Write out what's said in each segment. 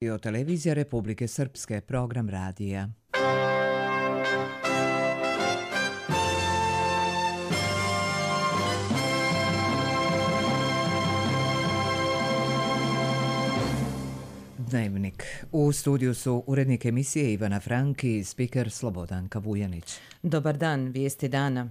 Televizija Republike Srpske, program radija. Dnevnik. U studiju su urednik emisije Ivana Franki i spiker Slobodanka Vujanić. Dobar dan, vijesti dana.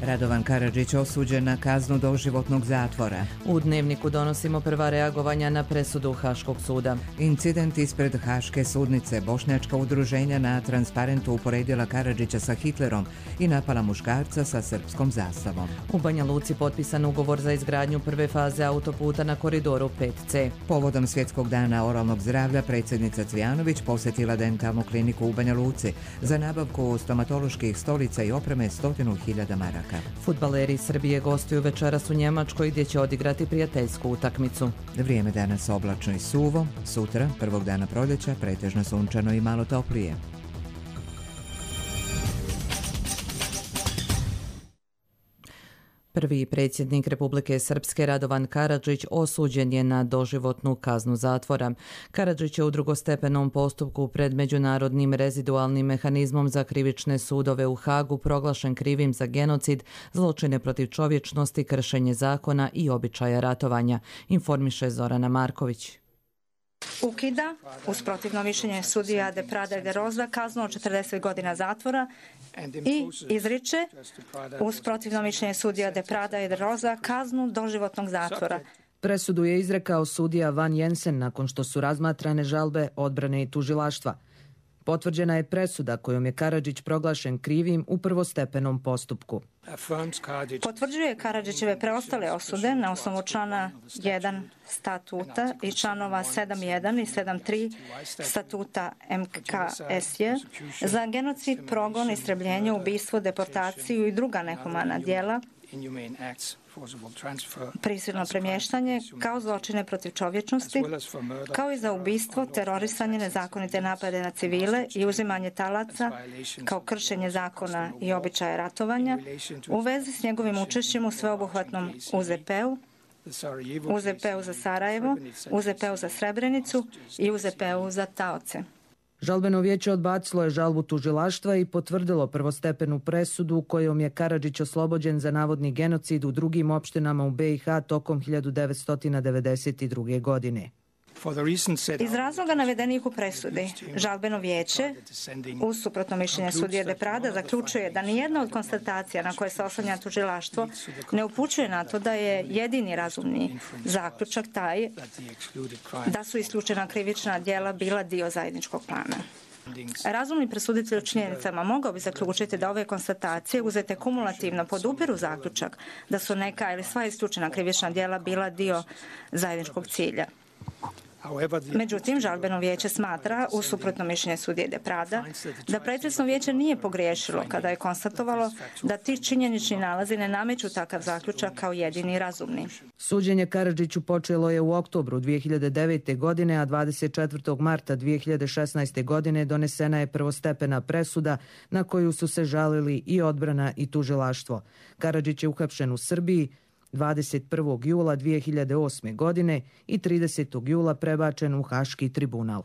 Radovan Karadžić osuđen na kaznu doživotnog zatvora. U Dnevniku donosimo prva reagovanja na presudu Haškog suda. Incident ispred Haške sudnice. Bošnjačka udruženja na transparentu uporedila Karadžića sa Hitlerom i napala muškarca sa srpskom zastavom. U Banja Luci potpisan ugovor za izgradnju prve faze autoputa na koridoru 5C. Povodom Svjetskog dana oralnog zdravlja predsjednica Cvijanović posjetila dentalnu kliniku u Banja Luci za nabavku stomatoloških stolica i opreme 100.000 maraka. Fudbaleri Srbije gostuju večeras u Njemačkoj gdje će odigrati prijateljsku utakmicu. Vrijeme danas oblačno i suvo, sutra, prvog dana proljeća, pretežno sunčano i malo toplije. Prvi predsjednik Republike Srpske Radovan Karadžić osuđen je na doživotnu kaznu zatvora. Karadžić je u drugostepenom postupku pred Međunarodnim rezidualnim mehanizmom za krivične sudove u Hagu proglašen krivim za genocid, zločine protiv čovječnosti, kršenje zakona i običaja ratovanja, informiše Zorana Marković. Ukida, uz protivno mišljenje sudija de Prada i de Roza, kaznu od 40 godina zatvora i izriče, uz protivno mišljenje sudija de Prada i de Roza, kaznu doživotnog zatvora. Presudu je izrekao sudija Van Jensen nakon što su razmatrane žalbe odbrane i tužilaštva. Potvrđena je presuda kojom je Karadžić proglašen krivim u prvostepenom postupku. Potvrđuje Karadžićeve preostale osude na osnovu člana 1 statuta i članova 7.1 i 7.3 statuta MKSJ za genocid, progon, istrebljenje, ubistvo, deportaciju i druga nehumana djela, prisilno premještanje kao zločine protiv čovječnosti, kao i za ubistvo, terorisanje, nezakonite napade na civile i uzimanje talaca kao kršenje zakona i običaja ratovanja u vezi s njegovim učešćem u sveobuhvatnom UZP-u, UZP-u za Sarajevo, UZP-u za Srebrenicu i UZP-u za taoce. Žalbeno vijeće odbacilo je žalbu tužilaštva i potvrdilo prvostepenu presudu kojom je Karadžić oslobođen za navodni genocid u drugim opštinama u BiH tokom 1992. godine. Iz razloga navedenih u presudi, žalbeno vijeće, uz suprotno mišljenje sudije de Prada, zaključuje da nijedna od konstatacija na koje se oslanja tužilaštvo ne upućuje na to da je jedini razumni zaključak taj da su isključena krivična djela bila dio zajedničkog plana. Razumni presuditelj u činjenicama mogao bi zaključiti da ove konstatacije uzete kumulativno podupiru zaključak da su neka ili sva isključena krivična djela bila dio zajedničkog cilja. Međutim, žalbeno vijeće smatra, u suprotno mišljenje sudije de Prada, da pretresno vijeće nije pogriješilo kada je konstatovalo da ti činjenični nalazi ne nameću takav zaključak kao jedini razumni. Suđenje Karadžiću počelo je u oktobru 2009. godine, a 24. marta 2016. godine donesena je prvostepena presuda na koju su se žalili i odbrana i tužilaštvo. Karadžić je uhapšen u Srbiji 21. jula 2008. godine i 30. jula prebačen u Haški tribunal.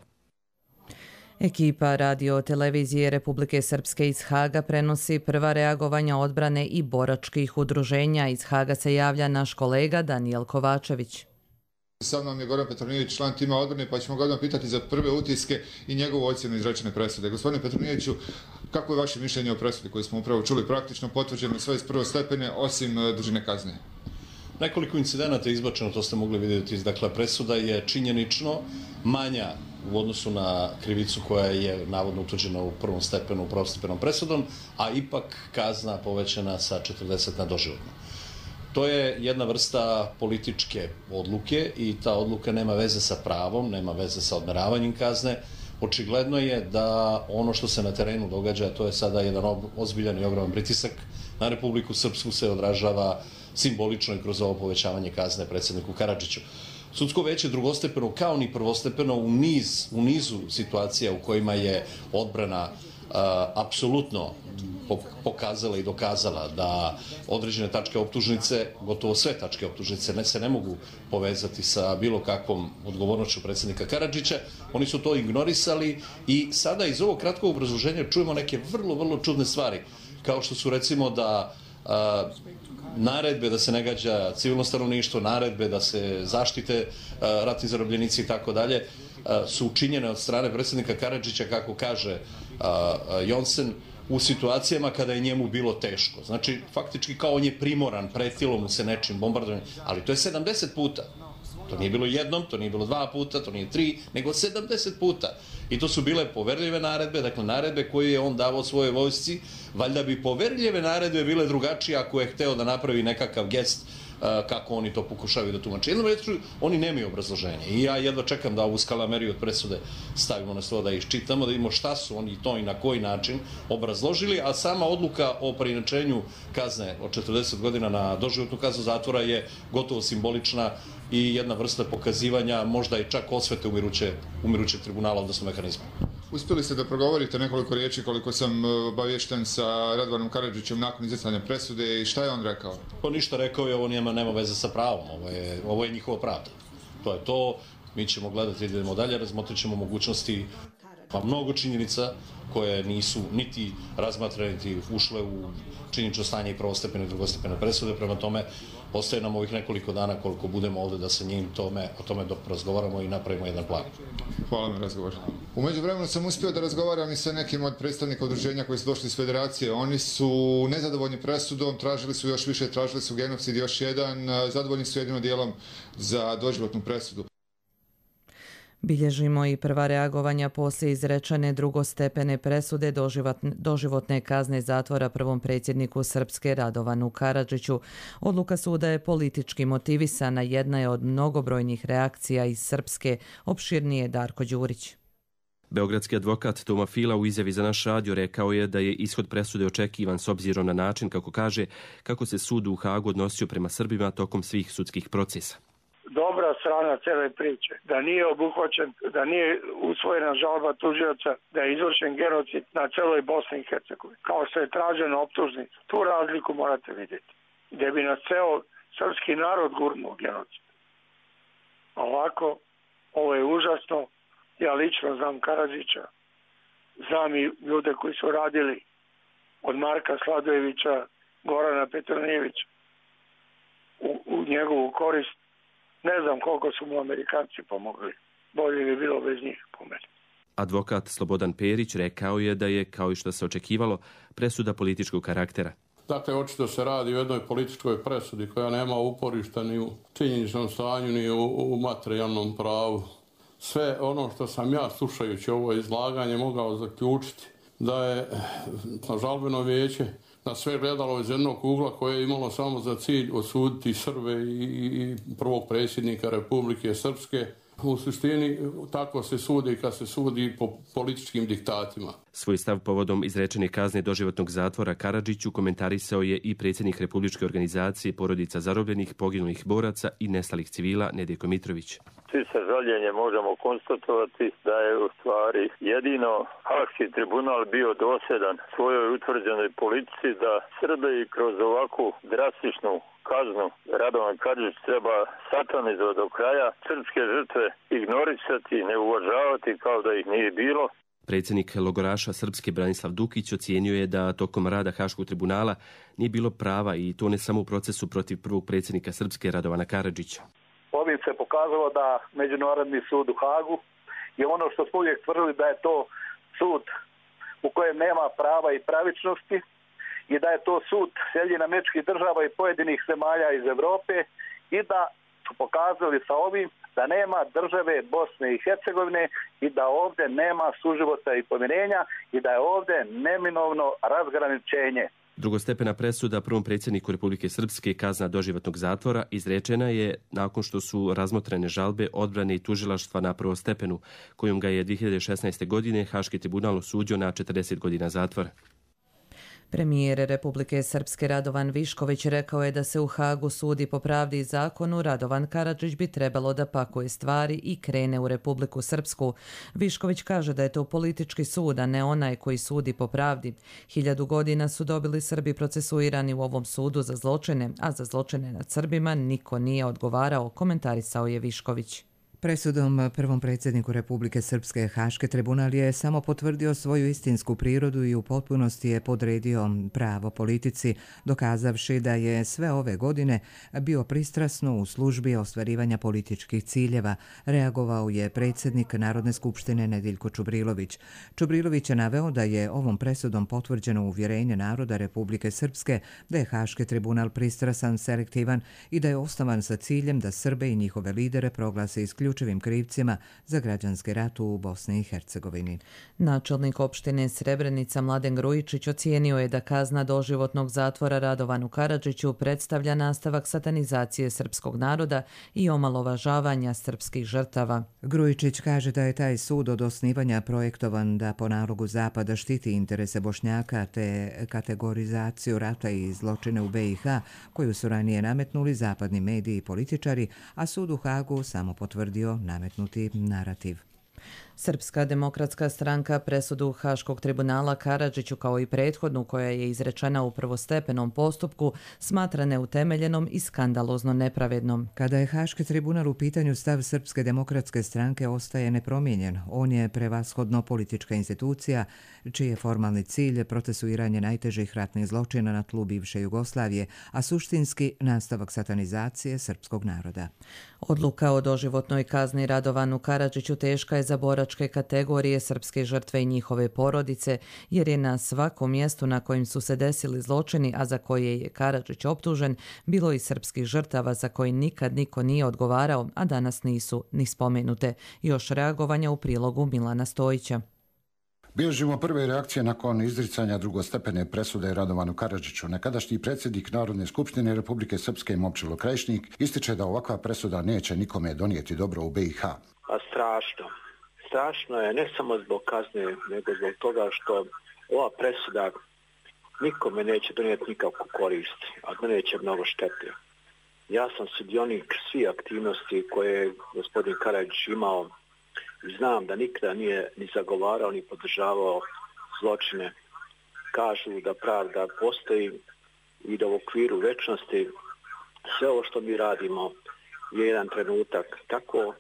Ekipa radio televizije Republike Srpske iz Haga prenosi prva reagovanja odbrane i boračkih udruženja. Iz Haga se javlja naš kolega Danijel Kovačević. Sad nam je Goran Petronijević, član tima odbrane, pa ćemo ga odmah pitati za prve utiske i njegovu ocjenu izrečene presude. Gospodine Petronijeviću, kako je vaše mišljenje o presudi koju smo upravo čuli, praktično potvrđeno sve iz prvostepene, osim dužine kazne? Nekoliko incidenata je izbačeno, to ste mogli vidjeti. Dakle, presuda je činjenično manja u odnosu na krivicu koja je navodno utvrđena u prvom stepenu, prvostepenom presudom, a ipak kazna povećana sa 40 na doživotno. To je jedna vrsta političke odluke i ta odluka nema veze sa pravom, nema veze sa odmeravanjem kazne. Očigledno je da ono što se na terenu događa, to je sada jedan ozbiljan i ogroman pritisak na Republiku Srpsku, se odražava simbolično i kroz ovo povećavanje kazne predsjedniku Karadžiću. Sudsko veće drugostepeno kao ni prvostepeno u nizu situacija u kojima je odbrana apsolutno pokazala i dokazala da određene tačke optužnice, gotovo sve tačke optužnice se ne mogu povezati sa bilo kakvom odgovornošću predsjednika Karadžića. Oni su to ignorisali i sada iz ovog kratkog obrazloženja čujemo neke vrlo, vrlo čudne stvari, kao što su recimo da naredbe da se ne gađa civilno stanovništvo, naredbe da se zaštite ratni zarobljenici i tako dalje, su učinjene od strane predsjednika Karadžića, kako kaže Jonsen, u situacijama kada je njemu bilo teško. Znači, faktički kao on je primoran, pretilo mu se nečim bombardovanjem, ali to je 70 puta. To nije bilo jednom, to nije bilo 2 puta, to nije 3, nego 70 puta. I to su bile poverljive naredbe, dakle naredbe koje je on davao svojoj vojsci. Valjda bi poverljive naredbe bile drugačije ako je hteo da napravi nekakav gest kako oni to pokušavaju da tumače. Jednom rečju, oni nemaju obrazloženje. I ja jedva čekam da ovu skalameriju od presude stavimo na stol, da iščitamo, da vidimo šta su oni to i na koji način obrazložili, a sama odluka o preinačenju kazne od 40 godina na doživotnu kaznu zatvora je gotovo simbolična i jedna vrsta pokazivanja, možda i čak osvete umirućeg tribunala, odnosno mehanizma. Uspjeli ste da progovorite nekoliko riječi, koliko sam obavješten, sa Radovanom Karadžićem nakon izricanja presude, i šta je on rekao? Pa ništa, rekao je, ovo nema veze sa pravom, ovo je njihova pravda. To je to, mi ćemo gledati, idemo dalje, razmotrit ćemo mogućnosti, pa mnogo činjenica koje nisu niti razmatrane, niti ušle u činjenično stanje i prvostepene i drugostepene presude, prema tome ostaje nam ovih nekoliko dana koliko budemo ovdje da sa njim o tome dok razgovaramo i napravimo jedan plan. Hvala na razgovor. U međuvremenu sam uspio da razgovaram i sa nekim od predstavnika udruženja koji su došli iz Federacije. Oni su nezadovoljni presudom, tražili su još više, tražili su genocid još jedan, zadovoljni su jedino dijelom za doživotnu presudu. Bilježimo i prva reagovanja poslije izrečene drugostepene presude doživotne kazne zatvora prvom predsjedniku Srpske Radovanu Karadžiću. Odluka suda je politički motivisana, jedna je od mnogobrojnih reakcija iz Srpske, opširnije Darko Đurić. Beogradski advokat Toma Fila u izjavi za naš radio rekao je da je ishod presude očekivan s obzirom na način, kako kaže, kako se sud u Hagu odnosio prema Srbima tokom svih sudskih procesa. Dobra strana cele priče, da nije obuhvaćen, da nije usvojena žalba tužioca, da je izvršen genocid na celoj Bosni i Hercegovini, kao što je tražena optužnica. Tu razliku morate vidjeti, gdje bi nas ceo srpski narod gurnuo genocid. Ovako, ovo je užasno. Ja lično znam Karadžića, znam i ljude koji su radili od Marka Sladojevića, Gorana Petronijevića u njegovu korist. Ne znam koliko su mu Amerikanci pomogli. Bolje bi bilo bez njih, po meni. Advokat Slobodan Perić rekao je da je, kao i što se očekivalo, presuda političkog karaktera. Dakle, očito se radi o jednoj političkoj presudi koja nema uporišta ni u činjeničnom stanju, ni u materijalnom pravu. Sve ono što sam ja, slušajući ovo izlaganje, mogao zaključiti da je žalbeno vijeće na sve gledalo iz jednog ugla koje je imalo samo za cilj osuditi Srbe i prvog predsjednika Republike Srpske. U suštini tako se sudi kad se sudi po političkim diktatima. Svoj stav povodom izrečene kazne doživotnog zatvora Karadžiću komentarisao je i predsjednik Republičke organizacije porodica zarobljenih, poginulih boraca i nestalih civila Nedjeljko Mitrović. Svi sa žaljenjem možemo konstatovati da je u stvari jedino Haški tribunal bio dosljedan svojoj utvrđenoj politici da Srbe i kroz ovakvu drastičnu kaznu Radovan Karadžić treba satanizovati do kraja, srpske žrtve ignorisati, ne uvažavati kao da ih nije bilo. Predsjednik logoraša Srpske Branislav Dukić ocijenio je da tokom rada Haškog tribunala nije bilo prava, i to ne samo u procesu protiv prvog predsjednika Srpske Radovana Karadžića. Ovim se pokazalo da Međunarodni sud u Hagu je ono što smo uvijek tvrdili, da je to sud u kojem nema prava i pravičnosti i da je to sud Sjedinjenih Američkih Država i pojedinih zemalja iz Europe, i da su pokazali sa ovim da nema države Bosne i Hercegovine i da ovdje nema suživota i pomirenja i da je ovdje neminovno razgraničenje. Drugostepena presuda prvom predsjedniku Republike Srpske, kazna doživotnog zatvora, izrečena je nakon što su razmotrene žalbe odbrane i tužilaštva na prvostepenu, kojom ga je 2016. godine Haški tribunal osudio na 40 godina zatvora. Premijer Republike Srpske Radovan Višković rekao je da se u Hagu sudi po pravdi i zakonu. Radovan Karadžić bi trebalo da pakuje stvari i krene u Republiku Srpsku. Višković kaže da je to politički sud, a ne onaj koji sudi po pravdi. 1000 godina su dobili Srbi procesuirani u ovom sudu za zločine, a za zločine nad Srbima niko nije odgovarao, komentarisao je Višković. Presudom prvom predsjedniku Republike Srpske Haški tribunal je samo potvrdio svoju istinsku prirodu i u potpunosti je podredio pravo politici, dokazavši da je sve ove godine bio pristrasno u službi ostvarivanja političkih ciljeva, reagovao je predsjednik Narodne skupštine Nediljko Čubrilović. Čubrilović je naveo da je ovom presudom potvrđeno uvjerenje naroda Republike Srpske da je Haški tribunal pristrasan, selektivan i da je osnovan sa ciljem da Srbe i njihove lidere proglase isključivim krivcima za građanski rat u Bosni i Hercegovini. Načelnik opštine Srebrenica Mladen Grujičić ocijenio je da kazna doživotnog zatvora Radovanu Karadžiću predstavlja nastavak satanizacije srpskog naroda i omalovažavanja srpskih žrtava. Grujičić kaže da je taj sud od osnivanja projektovan da po nalogu Zapada štiti interese Bošnjaka te kategorizaciju rata i zločine u BiH koju su ranije nametnuli zapadni mediji i političari, a sud u Hagu samo potvrdio nametnuti narativ. Srpska demokratska stranka presudu Haškog tribunala Karadžiću kao i prethodnu koja je izrečena u prvostepenom postupku smatra neutemeljenom i skandalozno nepravednom. Kada je Haški tribunal u pitanju, stav Srpske demokratske stranke ostaje nepromijenjen. On je prevashodno politička institucija čiji je formalni cilj procesuiranje najtežih ratnih zločina na tlu bivše Jugoslavije, a suštinski nastavak satanizacije srpskog naroda. Odluka o doživotnoj kazni Radovanu Karadžiću teška je za boračke kategorije srpske žrtve i njihove porodice, jer je na svakom mjestu na kojim su se desili zločini, a za koje je Karadžić optužen, bilo i srpskih žrtava za koje nikad niko nije odgovarao, a danas nisu ni spomenute. Još reagovanja u prilogu Milana Stojića. Bilježimo prve reakcije nakon izricanja drugostepene presude Radovanu Karadžiću. Nekadašnji predsjednik Narodne skupštine Republike Srpske Momčilo Krajišnik ističe da ovakva presuda neće nikome donijeti dobro u BiH. Strašno. Strašno je ne samo zbog kazne, nego zbog toga što ova presuda nikome neće donijeti nikakvu korist, a doneće mnogo štete. Ja sam sudionik svih aktivnosti koje je gospodin Karadžić imao. Znam da nikada nije ni zagovarao ni podržavao zločine. Kažu da pravda postoji i da u okviru večnosti sve ovo što mi radimo je jedan trenutak. Tako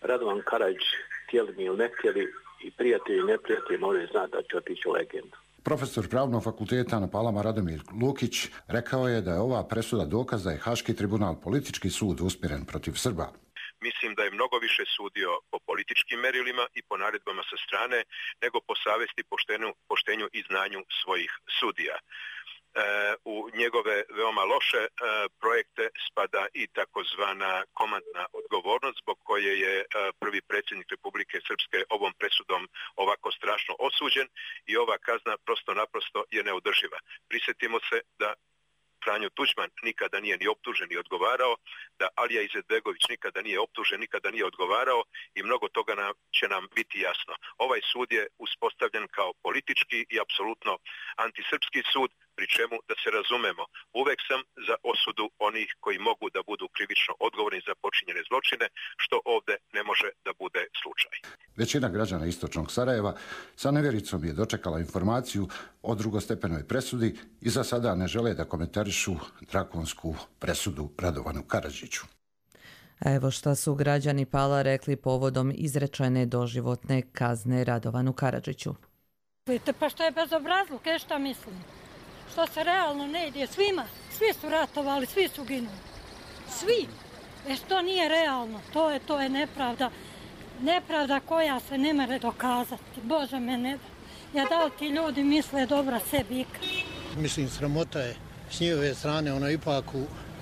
Radovan Karadžić, htjeli mi ili ne htjeli, i prijatelji i neprijatelji moraju znati da će otići u legendu. Profesor Pravnog fakulteta na Palama Radomir Lukić rekao je da je ova presuda dokaz da je Haški tribunal politički sud usmjeren protiv Srba. Mislim da je mnogo više sudio po političkim merilima i po naredbama sa strane nego po savjesti, poštenju i znanju svojih sudija. U njegove veoma loše projekte spada i takozvana komandna odgovornost zbog koje je prvi predsjednik Republike Srpske ovom presudom ovako strašno osuđen i ova kazna prosto naprosto je neodrživa. Prisjetimo se da Franjo Tuđman nikada nije ni optužen ni odgovarao, da Alija Izetbegović nikada nije optužen, nikada nije odgovarao i mnogo toga će nam biti jasno. Ovaj sud je uspostavljen kao politički i apsolutno antisrpski sud, pri čemu, da se razumemo, uvek sam za osudu onih koji mogu da budu krivično odgovorni za počinjene zločine, što ovdje ne može da bude slučaj. Većina građana istočnog Sarajeva sa nevjericom je dočekala informaciju o drugostepenoj presudi i za sada ne žele da komentarišu drakonsku presudu Radovanu Karadžiću. Evo šta su građani Pala rekli povodom izrečene doživotne kazne Radovanu Karadžiću. Pa što je bezobrazluk, šta mislim? Što se realno ne ide svima, svi su ratovali, svi su ginuli. Svi. Što nije realno, to je nepravda. Nepravda koja se ne mere dokazati. Bože me ne da. Ja da li ti ljudi misle dobra sebi ikad. Mislim, sramota je s njihove strane, ipak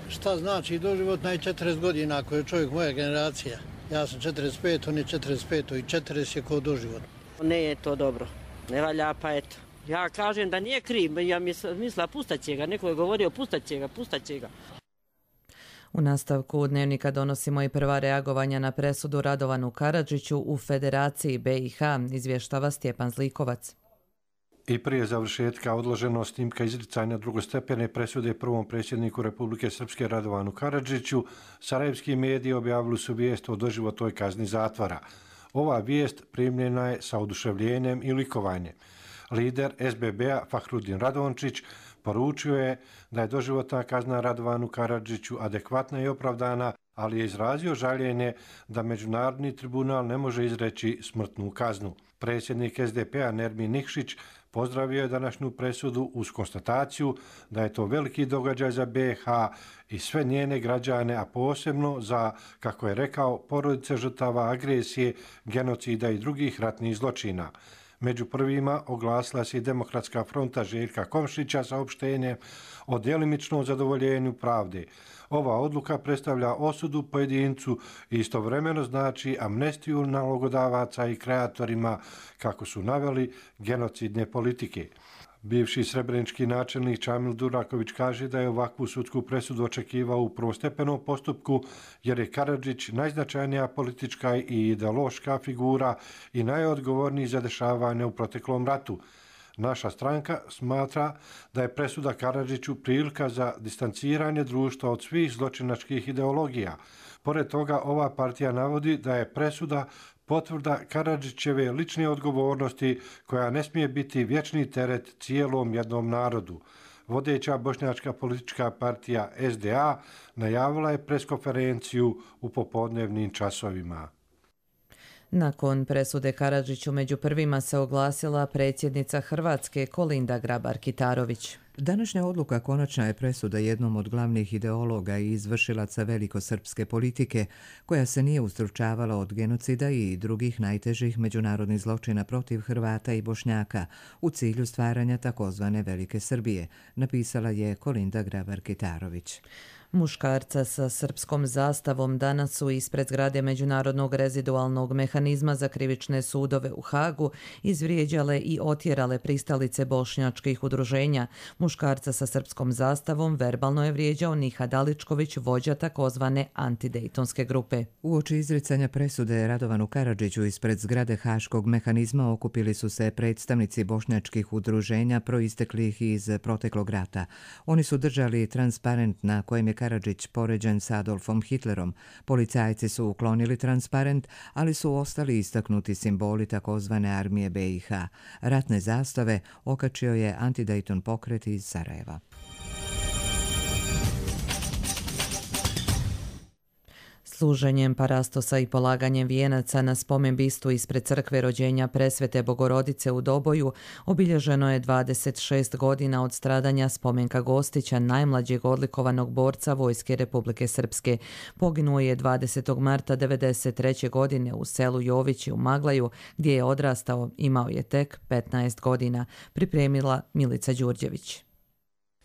šta znači doživotna i 40 godina ako je čovjek moja generacija. Ja sam 45, on je 45 i 40 je kao doživot. Ne je to dobro, ne valja pa eto. Ja kažem da nije kriv, ja mislila pustat će ga, neko je govorio pustat će ga. U nastavku dnevnika donosimo i prva reagovanja na presudu Radovanu Karadžiću u Federaciji BiH, izvještava Stjepan Zlikovac. I prije završetka odloženo snimka izricanja drugostepene presude prvom predsjedniku Republike Srpske Radovanu Karadžiću, sarajevski mediji objavili su vijest o doživotnoj kazni zatvora. Ova vijest primljena je sa oduševljenjem i likovanjem. Lider SBB-a Fahrudin Radončić poručio je da je doživotna kazna Radovanu Karadžiću adekvatna i opravdana, ali je izrazio žaljenje da Međunarodni tribunal ne može izreći smrtnu kaznu. Predsjednik SDP-a Nermin Nikšić pozdravio je današnju presudu uz konstataciju da je to veliki događaj za BiH i sve njene građane, a posebno za, kako je rekao, porodice žrtava agresije, genocida i drugih ratnih zločina. Među prvima oglasila se i Demokratska fronta Željka Komšića saopštenjem o djelimičnom zadovoljenju pravde. Ova odluka predstavlja osudu pojedincu i istovremeno znači amnestiju nalogodavaca i kreatorima, kako su naveli, genocidne politike. Bivši srebrenički načelnik Čamil Duraković kaže da je ovakvu sudsku presudu očekivao u prvostepenom postupku jer je Karadžić najznačajnija politička i ideološka figura i najodgovorniji za dešavanje u proteklom ratu. Naša stranka smatra da je presuda Karadžiću prilika za distanciranje društva od svih zločinačkih ideologija. Pored toga, ova partija navodi da je presuda potvrda Karadžićeve lične odgovornosti koja ne smije biti vječni teret cijelom jednom narodu. Vodeća bošnjačka politička partija SDA najavila je preskonferenciju u popodnevnim časovima. Nakon presude Karadžiću među prvima se oglasila predsjednica Hrvatske Kolinda Grabar-Kitarović. Današnja odluka konačna je presuda jednom od glavnih ideologa i izvršilaca velikosrpske politike, koja se nije ustručavala od genocida i drugih najtežih međunarodnih zločina protiv Hrvata i Bošnjaka u cilju stvaranja takozvane Velike Srbije, napisala je Kolinda Grabar-Kitarović. Muškarca sa srpskom zastavom danas su ispred zgrade Međunarodnog rezidualnog mehanizma za krivične sudove u Hagu izvrijeđale i otjerale pristalice bošnjačkih udruženja. Muškarca sa srpskom zastavom verbalno je vrijeđao Nihad Aličković, vođa takozvane antidejtonske grupe. Uoči izricanja presude Radovanu Karadžiću ispred zgrade Haškog mehanizma okupili su se predstavnici bošnjačkih udruženja proisteklih iz proteklog rata. Oni su držali transparent na kojem je Karadžić poređen s Adolfom Hitlerom. Policajci su uklonili transparent, ali su ostali istaknuti simboli takozvane armije BiH. Ratne zastave okačio je antidejton pokret iz Sarajeva. Služenjem parastosa i polaganjem vijenaca na spomen bistu ispred crkve rođenja Presvete Bogorodice u Doboju obilježeno je 26 godina od stradanja Spomenka Gostića, najmlađeg odlikovanog borca Vojske Republike Srpske. Poginuo je 20. marta 1993. godine u selu Jovići u Maglaju, gdje je odrastao, imao je tek 15 godina, pripremila Milica Đurđević.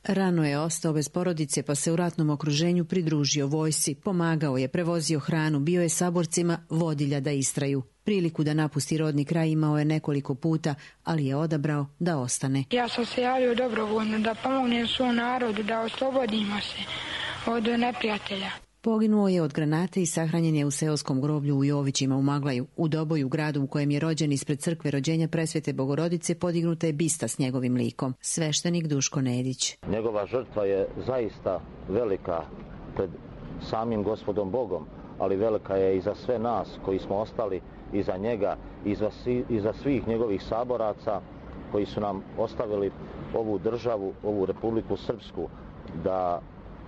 Rano je ostao bez porodice pa se u ratnom okruženju pridružio vojsci, pomagao je, prevozio hranu, bio je saborcima vodilja da istraju. Priliku da napusti rodni kraj imao je nekoliko puta, ali je odabrao da ostane. Ja sam se javio dobrovoljno da pomognem svom narodu, da oslobodimo se od neprijatelja. Poginuo je od granate i sahranjen je u seoskom groblju u Jovićima u Maglaju. U Doboju, gradu u kojem je rođen, ispred crkve rođenja Presvete Bogorodice podignuta je bista s njegovim likom. Sveštenik Duško Nedić. Njegova žrtva je zaista velika pred samim Gospodom Bogom, ali velika je i za sve nas koji smo ostali iza njega, i za svih njegovih saboraca koji su nam ostavili ovu državu, ovu Republiku Srpsku, da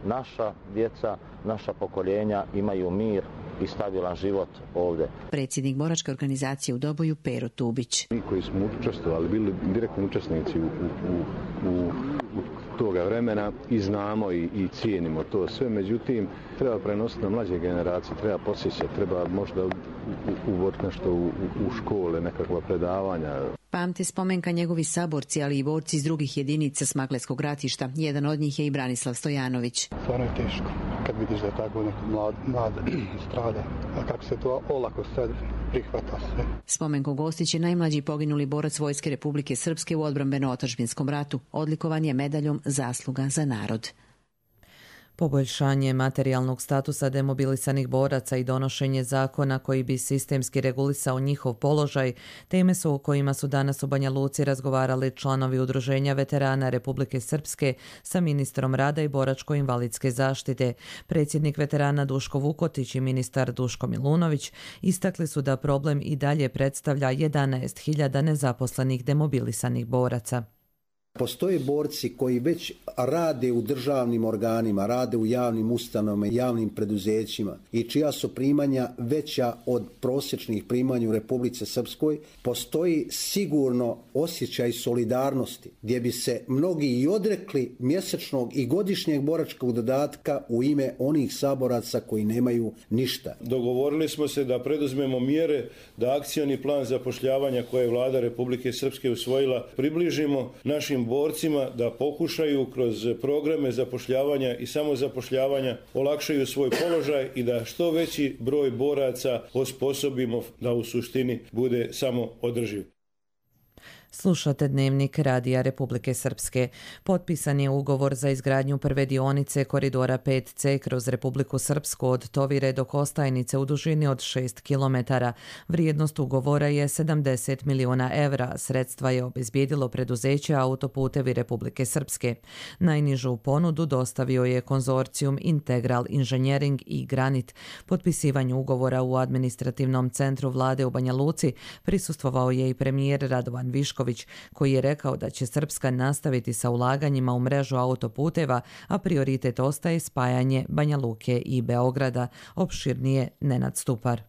naša djeca, naša pokoljenja imaju mir i stabilan život ovdje. Predsjednik boračke organizacije u Doboju Pero Tubić. Mi koji smo učestvovali, bili direktni učesnici u toga vremena i znamo i cijenimo to sve, međutim treba prenositi na mlađe generacije, treba posjećati, treba možda uvoditi nešto u škole, nekakva predavanja. Pamte spomenka njegovi saborci, ali i borci iz drugih jedinica Smagleskog ratišta. Jedan od njih je i Branislav Stojanović. Stvarno je teško kad vidiš da je tako neko mlad strada, a kako se to olako sad prihvata sve. Spomenko Gostić je najmlađi poginuli borac Vojske Republike Srpske u odbrambeno-otadžbinskom ratu. Odlikovan je medaljom Zasluga za narod. Poboljšanje materijalnog statusa demobilisanih boraca i donošenje zakona koji bi sistemski regulisao njihov položaj, teme su o kojima su danas u Banja Luci razgovarali članovi Udruženja veterana Republike Srpske sa ministrom rada i boračko-invalidske zaštite. Predsjednik veterana Duško Vukotić i ministar Duško Milunović istakli su da problem i dalje predstavlja 11.000 nezaposlenih demobilisanih boraca. Postoje borci koji već rade u državnim organima, rade u javnim ustanovama, javnim preduzećima i čija su primanja veća od prosječnih primanja u Republici Srpskoj. Postoji sigurno osjećaj solidarnosti gdje bi se mnogi i odrekli mjesečnog i godišnjeg boračkog dodatka u ime onih saboraca koji nemaju ništa. Dogovorili smo se da preduzmemo mjere da akcioni plan zapošljavanja koje je Vlada Republike Srpske usvojila približimo našim borcima da pokušaju kroz programe zapošljavanja i samozapošljavanja olakšaju svoj položaj i da što veći broj boraca osposobimo da u suštini bude samo održiv. Slušate Dnevnik Radija Republike Srpske. Potpisan je ugovor za izgradnju prve dionice koridora 5C kroz Republiku Srpsku od Tovire do Kostajnice u dužini od 6 km. Vrijednost ugovora je 70 miliona evra. Sredstva je obezbijedilo preduzeće Autoputevi Republike Srpske. Najnižu ponudu dostavio je konzorcijum Integral Inženjering i Granit. Potpisivanju ugovora u administrativnom centru vlade u Banja Luci prisustvovao je i premijer Radovan Višković, koji je rekao da će Srpska nastaviti sa ulaganjima u mrežu autoputeva, a prioritet ostaje spajanje Banja Luke i Beograda. Opširnije Nenad Stupar.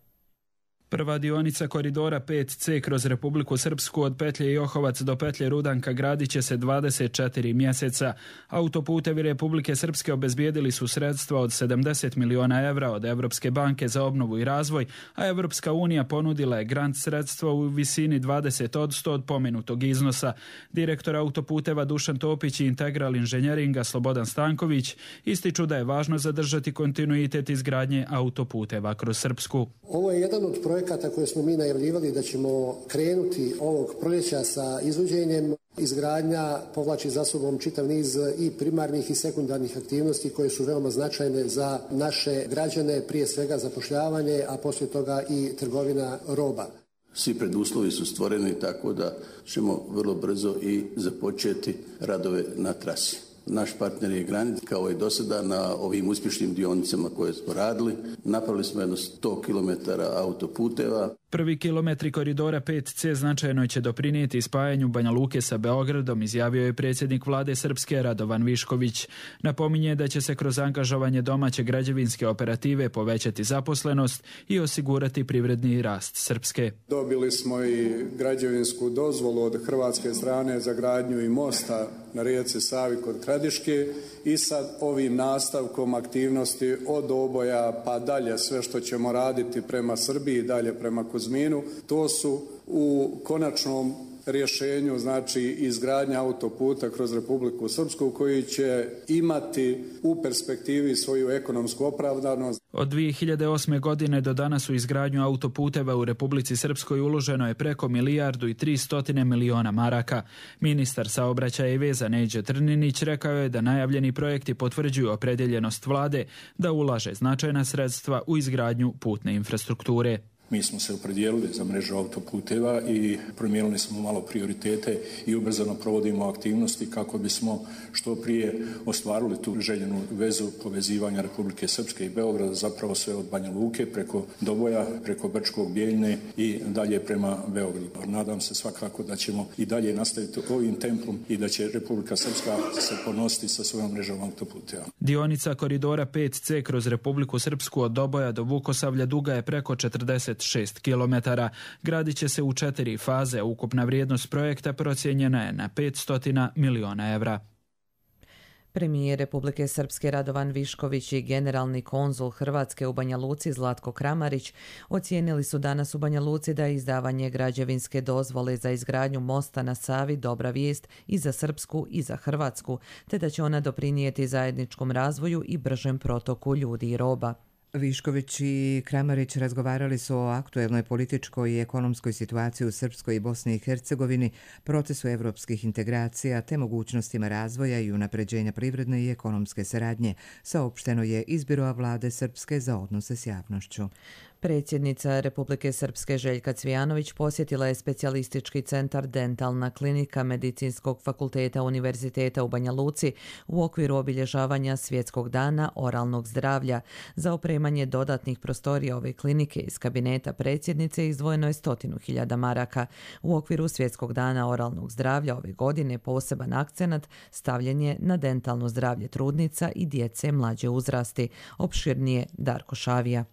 Prva dionica koridora 5C kroz Republiku Srpsku od petlje Johovac do petlje Rudanka gradit će se 24 mjeseca. Autoputevi Republike Srpske obezbijedili su sredstva od 70 miliona evra od Evropske banke za obnovu i razvoj, a Evropska unija ponudila je grant sredstva u visini 20% od pomenutog iznosa. Direktor autoputeva Dušan Topić i Integral Inženjeringa Slobodan Stanković ističu da je važno zadržati kontinuitet izgradnje autoputeva kroz Srpsku. Ovo je jedan od projekata koje smo mi najavljivali da ćemo krenuti ovog proljeća sa izvođenjem. Izgradnja povlači za sobom čitav niz i primarnih i sekundarnih aktivnosti koje su veoma značajne za naše građane, prije svega zapošljavanje, a poslije toga i trgovina roba. Svi preduslovi su stvoreni tako da ćemo vrlo brzo i započeti radove na trasi. Naš partner je Granit, kao i do sada na ovim uspješnim dionicama koje smo radili. Napravili smo jedno 100 km autoputeva. Prvi kilometri koridora 5C značajno će doprinijeti spajanju Banja Luke sa Beogradom, izjavio je predsjednik vlade Srpske Radovan Višković. Napominje da će se kroz angažovanje domaće građevinske operative povećati zaposlenost i osigurati privredni rast Srpske. Dobili smo i građevinsku dozvolu od hrvatske strane za gradnju i mosta na rijeci Savi kod Kradiške i sad ovim nastavkom aktivnosti od Oboja pa dalje sve što ćemo raditi prema Srbiji, dalje prema Kuzminu, to su u konačnom rješenju, znači izgradnja autoputa kroz Republiku Srpsku koji će imati u perspektivi svoju ekonomsku opravdanost. Od 2008. godine do danas u izgradnju autoputeva u Republici Srpskoj uloženo je preko 1,3 milijarde maraka. Ministar saobraćaja i veza Neđo Trninić rekao je da najavljeni projekti potvrđuju opredjeljenost vlade da ulaže značajna sredstva u izgradnju putne infrastrukture. Mi smo se opredijelili za mrežu autoputeva i promijenili smo malo prioritete i ubrzano provodimo aktivnosti kako bismo što prije ostvarili tu željenu vezu povezivanja Republike Srpske i Beograda, zapravo sve od Banja Luke preko Doboja, preko Brčkog, Bijeljne i dalje prema Beogradu. Nadam se svakako da ćemo i dalje nastaviti ovim tempom i da će Republika Srpska se ponositi sa svojom mrežom autoputeva. Dionica koridora 5C kroz Republiku Srpsku od Doboja do Vukosavlja duga je preko 46 km. Gradit će se u 4 faze. Ukupna vrijednost projekta procijenjena je na 500 miliona evra. Premijer Republike Srpske Radovan Višković i generalni konzul Hrvatske u Banja Luci Zlatko Kramarić ocijenili su danas u Banja Luci da je izdavanje građevinske dozvole za izgradnju mosta na Savi dobra vijest i za Srpsku i za Hrvatsku, te da će ona doprinijeti zajedničkom razvoju i bržem protoku ljudi i roba. Višković i Kramarić razgovarali su o aktuelnoj političkoj i ekonomskoj situaciji u Srpskoj i Bosni i Hercegovini, procesu evropskih integracija te mogućnostima razvoja i unapređenja privredne i ekonomske saradnje, saopšteno je iz Biroa vlade Srpske za odnose s javnošću. Predsjednica Republike Srpske Željka Cvijanović posjetila je specijalistički centar Dentalna klinika Medicinskog fakulteta Univerziteta u Banja Luci u okviru obilježavanja Svjetskog dana oralnog zdravlja. Za opremanje dodatnih prostorija ove klinike iz kabineta predsjednice izdvojeno je 100.000 maraka. U okviru Svjetskog dana oralnog zdravlja ove godine poseban akcenat stavljen je na dentalno zdravlje trudnica i djece mlađe uzrasti. Opširnije Darko Šavija.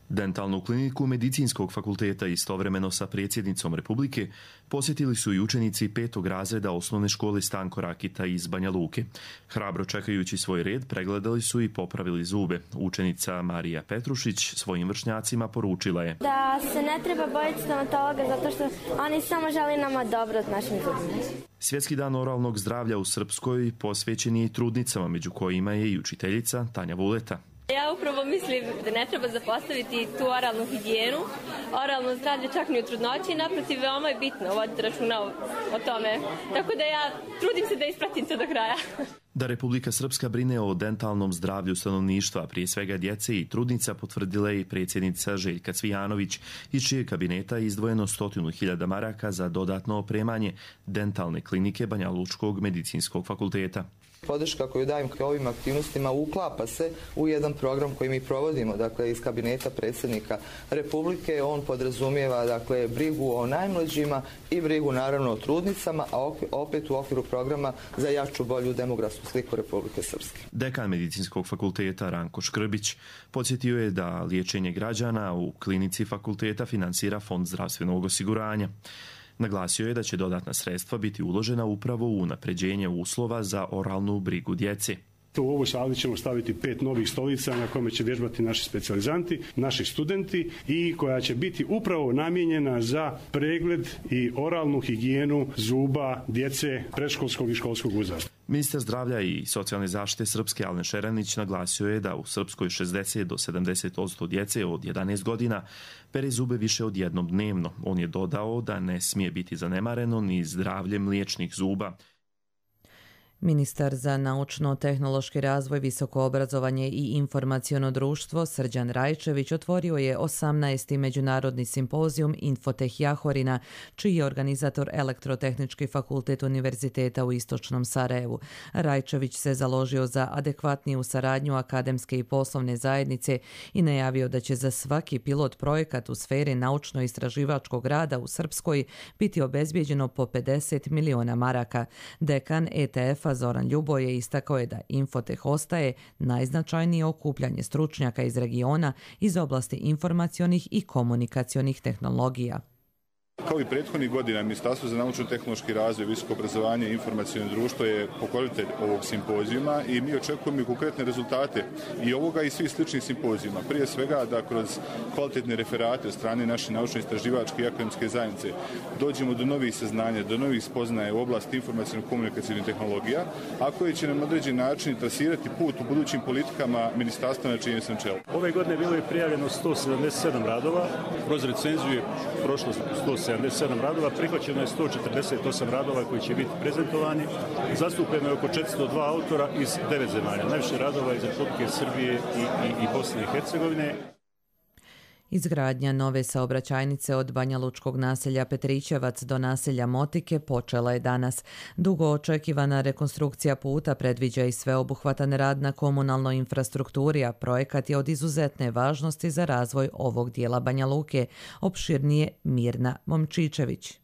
Dentalnu kliniku Medicinskog fakulteta istovremeno sa predsjednicom Republike posjetili su i učenici 5. razreda osnovne škole Stanko Rakita iz Banja Luke. Hrabro čekajući svoj red, pregledali su i popravili zube. Učenica Marija Petrušić svojim vršnjacima poručila je da se ne treba bojiti stomatologa zato što oni samo žele nama dobro od našim zubima. Svjetski dan oralnog zdravlja u Srpskoj posvećen je i trudnicama, među kojima je i učiteljica Tanja Vuleta. Ja upravo mislim da ne treba zapostaviti tu oralnu higijenu, oralno zdravlje čak ni u trudnoći, naprotiv veoma je bitno voditi računa o tome. Tako da ja trudim se da ispratim to do kraja. Da Republika Srpska brine o dentalnom zdravlju stanovništva, prije svega djece i trudnica, potvrdila je i predsjednica Željka Cvijanović, iz čijeg kabineta je izdvojeno 100.000 maraka za dodatno opremanje dentalne klinike Banja Lučkog medicinskog fakulteta. Podrška koju dajem ovim aktivnostima uklapa se u jedan program koji mi provodimo, dakle iz kabineta predsjednika Republike. On podrazumijeva dakle brigu o najmlađima i brigu naravno o trudnicama, a opet u okviru programa za jaču, bolju demografsku sliku Republike Srpske. Dekan Medicinskog fakulteta Ranko Škrbić podsjetio je da liječenje građana u klinici fakulteta finansira Fond zdravstvenog osiguranja. Naglasio je da će dodatna sredstva biti uložena upravo u unapređenje uslova za oralnu brigu djece. U ovoj sali ćemo staviti 5 novih stolica na kome će vježbati naši specijalizanti, naši studenti i koja će biti upravo namijenjena za pregled i oralnu higijenu zuba djece predškolskog i školskog uzrasta. Ministar zdravlja i socijalne zaštite Srpske Alen Šeranić naglasio je da u Srpskoj 60 do 70% djece od 11 godina pere zube više od jednom dnevno. On je dodao da ne smije biti zanemareno ni zdravlje mliječnih zuba. Ministar za naučno-tehnološki razvoj, visoko obrazovanje i informaciono društvo Srđan Rajčević otvorio je 18. međunarodni simpozijum Infoteh Jahorina, čiji je organizator Elektrotehnički fakultet Univerziteta u Istočnom Sarajevu. Rajčević se založio za adekvatniju saradnju akademske i poslovne zajednice i najavio da će za svaki pilot projekat u sferi naučno-istraživačkog rada u Srpskoj biti obezbijeđeno po 50 miliona maraka. Dekan ETF Zoran Ljuboje istakao je da Infoteh ostaje najznačajnije okupljanje stručnjaka iz regiona iz oblasti informacionih i komunikacionih tehnologija. Kao i prethodnih godina, Ministarstvo za naučno-tehnološki razvoj, visoko obrazovanje i informaciono društvo je pokrovitelj ovog simpozijuma i mi očekujemo i konkretne rezultate i ovoga i svih sličnih simpozijuma. Prije svega da kroz kvalitetne referate od strane naše naučno-istraživačke i akademske zajednice dođemo do novih saznanja, do novih spoznaja u oblasti informaciono-komunikacijnih tehnologija, a koje će nam određen način trasirati put u budućim politikama ministarstva na čijem sam čelu. Ove godine bilo je prijavljeno 177 radova, kroz recenziju je prošlo 177 radova, prihvaćeno je 148 radova koji će biti prezentovani. Zastupljeno je oko 402 autora iz 9 zemalja. Najviše radova iz Republike Srbije i Bosne i Hercegovine. Izgradnja nove saobraćajnice od Banja Lučkog naselja Petrićevac do naselja Motike počela je danas. Dugo očekivana rekonstrukcija puta predviđa i sveobuhvatan rad na komunalnoj infrastrukturi, a projekat je od izuzetne važnosti za razvoj ovog dijela Banja Luke. Opširnije Mirna Momčičević.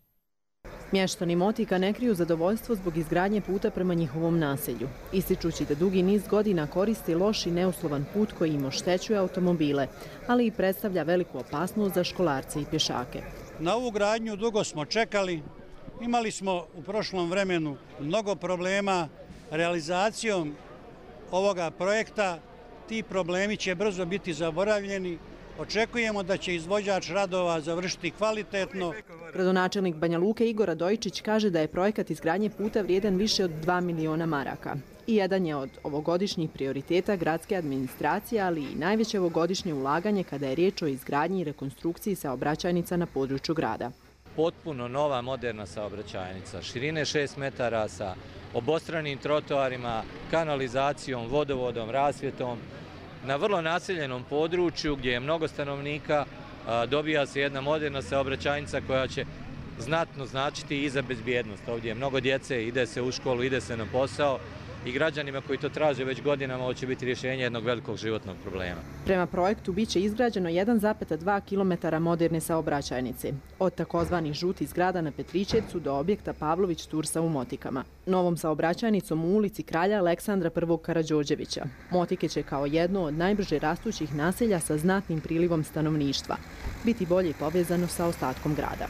Mještani Motika ne kriju zadovoljstvo zbog izgradnje puta prema njihovom naselju, ističući da dugi niz godina koristi loš i neuslovan put koji im oštećuje automobile, ali i predstavlja veliku opasnost za školarce i pješake. Na ovu gradnju dugo smo čekali, imali smo u prošlom vremenu mnogo problema realizacijom ovoga projekta. Ti problemi će brzo biti zaboravljeni. Očekujemo da će izvođač radova završiti kvalitetno. Gradonačelnik Banja Luke Igor Radojčić kaže da je projekat izgradnje puta vrijedan više od 2 miliona maraka. i jedan je od ovogodišnjih prioriteta gradske administracije, ali i najveće ovogodišnje ulaganje kada je riječ o izgradnji i rekonstrukciji saobraćajnica na području grada. Potpuno nova moderna saobraćajnica, širine 6 metara sa obostranim trotoarima, kanalizacijom, vodovodom, rasvjetom. Na vrlo naseljenom području gdje je mnogo stanovnika dobija se jedna moderna saobraćajnica koja će znatno značiti i za bezbjednost. Ovdje je mnogo djece, ide se u školu, ide se na posao i građanima koji to traže već godinama ovo će biti rješenje jednog velikog životnog problema. Prema projektu biće izgrađeno 1,2 km moderne saobraćajnice, od takozvanih žutih zgrada na Petričevcu do objekta Pavlović Tursa u Motikama. Novom saobraćajnicom u ulici Kralja Aleksandra I. Karađorđevića. Motike će kao jedno od najbrže rastućih naselja sa znatnim prilivom stanovništva biti bolje povezano sa ostatkom grada.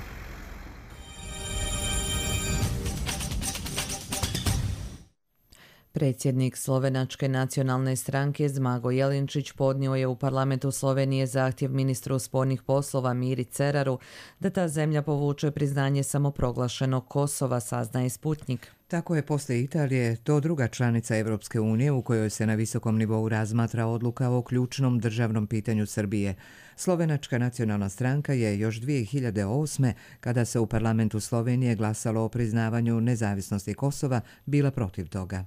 Predsjednik Slovenačke nacionalne stranke Zmago Jelinčić podnio je u parlamentu Slovenije zahtjev ministru spoljnih poslova Miri Ceraru da ta zemlja povuče priznanje samoproglašenog Kosova, saznaje Sputnik. Tako je poslije Italije to druga članica Evropske unije u kojoj se na visokom nivou razmatra odluka o ključnom državnom pitanju Srbije. Slovenačka nacionalna stranka je još 2008. kada se u parlamentu Slovenije glasalo o priznavanju nezavisnosti Kosova bila protiv toga.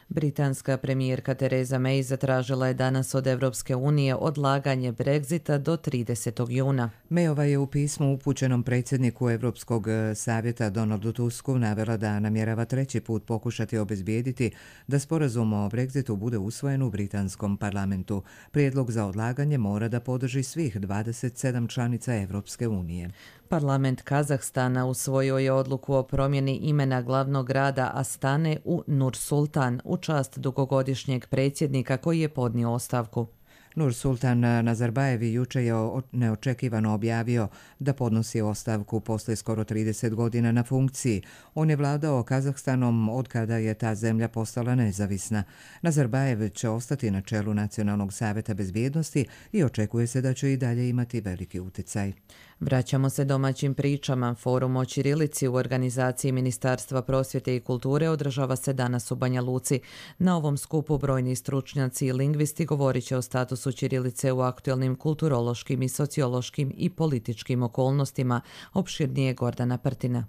Britanska premijerka Theresa May zatražila je danas od Evropske unije odlaganje Brexita do 30. juna. Mayova je u pismu upućenom predsjedniku Evropskog savjeta Donaldu Tusku navela da namjerava treći put pokušati obezbijediti da sporazum o Brexitu bude usvojen u britanskom parlamentu. Prijedlog za odlaganje mora da podrži svih 27 članica Evropske unije. Parlament Kazahstana usvojio je odluku o promjeni imena glavnog grada Astane u Nur Sultan u čast dugogodišnjeg predsjednika koji je podnio ostavku. Nur Sultan Nazarbajev jučer je neočekivano objavio da podnosi ostavku poslije skoro 30 godina na funkciji. On je vladao Kazahstanom od kada je ta zemlja postala nezavisna. Nazarbajev će ostati na čelu Nacionalnog savjeta bezbjednosti i očekuje se da će i dalje imati veliki utjecaj. Vraćamo se domaćim pričama. Forum o ćirilici u organizaciji Ministarstva prosvjete i kulture održava se danas u Banja Luci. Na ovom skupu brojni stručnjaci i lingvisti govorit će o statusu ćirilice u aktualnim kulturološkim i sociološkim i političkim okolnostima. Opširnije Gordana Prtina.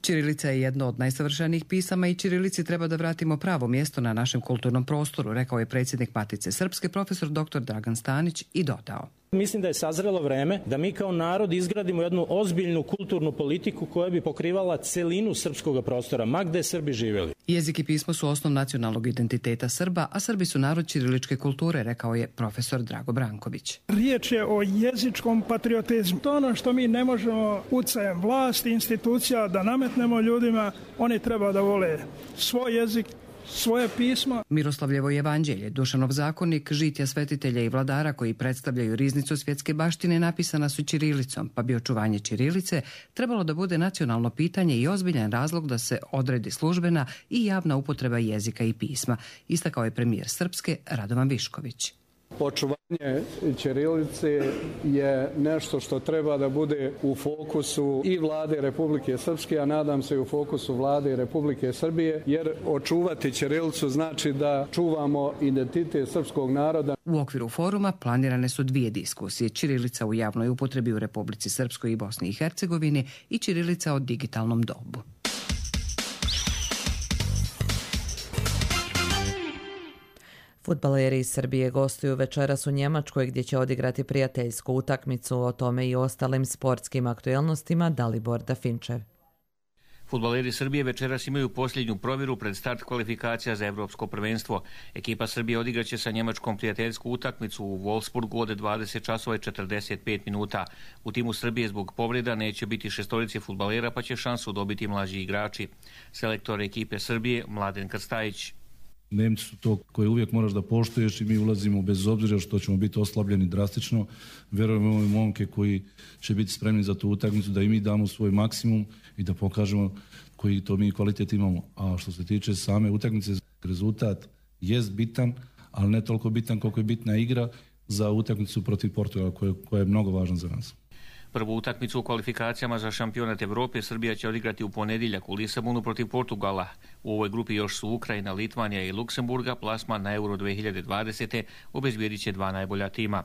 Ćirilica je jedno od najsavršenijih pisama i ćirilici treba da vratimo pravo mjesto na našem kulturnom prostoru, rekao je predsjednik Matice Srpske, profesor dr. Dragan Stanić, i dodao. Mislim da je sazrelo vreme da mi kao narod izgradimo jednu ozbiljnu kulturnu politiku koja bi pokrivala celinu srpskog prostora, ma gde Srbi živjeli. Jezik i pismo su osnov nacionalnog identiteta Srba, a Srbi su narod ćiriličke kulture, rekao je profesor Drago Branković. Riječ je o jezičkom patriotizmu. To ono što mi ne možemo utjecajem vlasti, institucija da nametnemo ljudima, oni treba da vole svoj jezik, svoje pismo. Miroslavljevo evanđelje, Dušanov zakonik, žitja svetitelja i vladara koji predstavljaju riznicu svjetske baštine napisana su ćirilicom, pa bi očuvanje ćirilice trebalo da bude nacionalno pitanje i ozbiljan razlog da se odredi službena i javna upotreba jezika i pisma, istakao je premijer Srpske Radovan Višković. Očuvanje ćirilice je nešto što treba da bude u fokusu i vlade Republike Srpske, a nadam se i u fokusu vlade Republike Srbije, jer očuvati ćirilicu znači da čuvamo identitet srpskog naroda. U okviru foruma planirane su 2 diskusije: ćirilica u javnoj upotrebi u Republici Srpskoj i Bosni i Hercegovini i ćirilica o digitalnom dobu. Fudbaleri iz Srbije gostuju večeras u Njemačkoj gdje će odigrati prijateljsku utakmicu. O tome i ostalim sportskim aktuelnostima Dalibor Dafinčev. Fudbaleri Srbije večeras imaju posljednju provjeru pred start kvalifikacija za evropsko prvenstvo. Ekipa Srbije odigraće sa Njemačkom prijateljsku utakmicu u Wolfsburgu od 20 časova i 45 minuta. U timu Srbije zbog povreda neće biti 6 fudbalera, pa će šansu dobiti mlađi igrači. Selektor ekipe Srbije Mladen Krstajić. Nemci su to koje uvijek moraš da poštuješ i mi ulazimo bez obzira što ćemo biti oslabljeni drastično. Vjerujemo u momke koji će biti spremni za tu utakmicu, da i mi damo svoj maksimum i da pokažemo koji to mi kvalitet imamo. A što se tiče same utakmice, rezultat jest bitan, ali ne toliko bitan koliko je bitna igra za utakmicu protiv Portugala koja je mnogo važna za nas. Prvu utakmicu u kvalifikacijama za šampionat Evrope Srbija će odigrati u ponedjeljak u Lisabonu protiv Portugala. U ovoj grupi još su Ukrajina, Litvanija i Luksemburga. Plasman na Euro 2020. obezbijedit će 2 najbolja tima.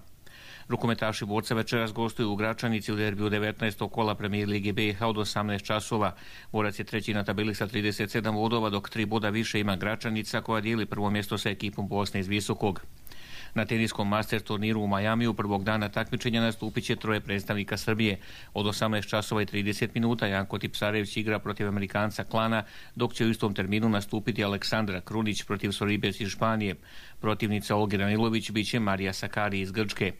Rukometaši Borca večeras gostuju u Gračanici u derbiju 19. kola Premijer Lige BiH od 18 časova. Borac je treći na tabeli sa 37 bodova, dok 3 boda više ima Gračanica koja dijeli prvo mjesto sa ekipom Bosne iz Visokog. Na teniskom Masters turniru u Majamiju prvog dana takmičenja nastupit će 3 predstavnika Srbije. Od 18 časova i 30 minuta Janko Tipsarević igra protiv Amerikanca Klana, dok će u istom terminu nastupiti Aleksandra Krunić protiv Soribes iz Španije. Protivnica Olgi Ranilović bit će Marija Sakari iz Grčke.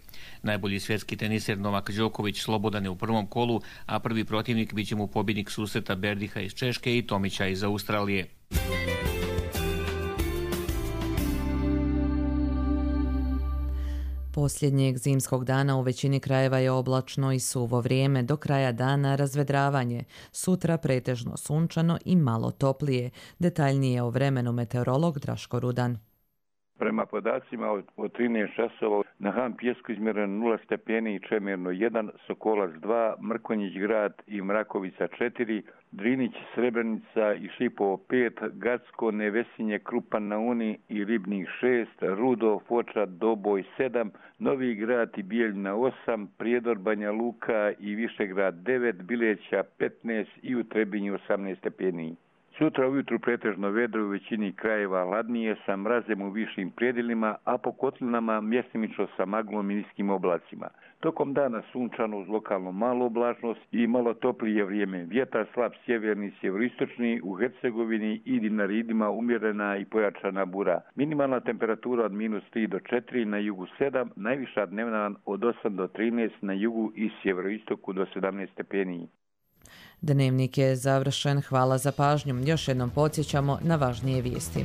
Najbolji svjetski teniser Novak Đoković slobodan je u prvom kolu, a prvi protivnik bit će mu pobjednik susreta Berdiha iz Češke i Tomića iz Australije. Posljednjeg zimskog dana u većini krajeva je oblačno i suvo vrijeme, do kraja dana razvedravanje. Sutra pretežno sunčano i malo toplije. Detaljnije o vremenu meteorolog Draško Rudan. Prema podacima od 13 časova na Han Pjesku izmjereno 0 stepeni i Čemerno 1, Sokolac 2, Mrkonjić grad i Mrakovica 4, Drinić, Srebrenica i Šipovo 5, Gacko, Nevesinje, Krupan na Uni i Ribnik 6, Rudo, Foča, Doboj 7, Novi grad i Bijeljina 8, Prijedor, Banja Luka i Višegrad 9, Bileća 15 i u Trebinju 18 stepeni. Sutra ujutru pretežno vedro u većini krajeva, hladnije sa mrazem u višim predjelima, a po kotlinama mjestimično sa maglom i niskim oblacima. Tokom dana sunčano uz lokalno malu oblačnost i malo toplije vrijeme. Vjetar slab sjeverni, sjeveroistočni, u Hercegovini i Dinaridima umjerena i pojačana bura. Minimalna temperatura od -3 do 4, na jugu 7, najviša dnevna od 8 do 13, na jugu i sjeveroistoku do 17 stepeni. Dnevnik je završen. Hvala za pažnju. Još jednom podsjećamo na važnije vijesti.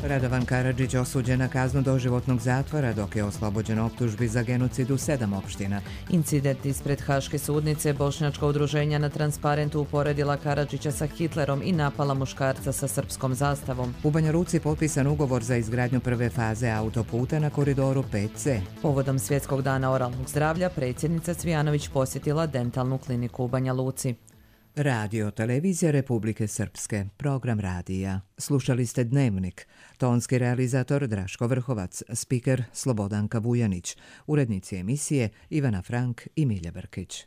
Radovan Karadžić osuđen na kaznu doživotnog zatvora, dok je oslobođen optužbi za genocid u 7 opština. Incident ispred Haške sudnice, bošnjačka udruženja na Transparentu uporedila Karadžića sa Hitlerom i napala muškarca sa srpskom zastavom. U Banja Luci potpisan ugovor za izgradnju prve faze autoputa na koridoru 5C. Povodom Svjetskog dana oralnog zdravlja, predsjednica Cvijanović posjetila dentalnu kliniku u Banja Luci. Radio Televizija Republike Srpske, program radija. Slušali ste Dnevnik. Tonski realizator Draško Vrhovac, spiker Slobodanka Vujanić, urednici emisije Ivana Frank i Milja Brkić.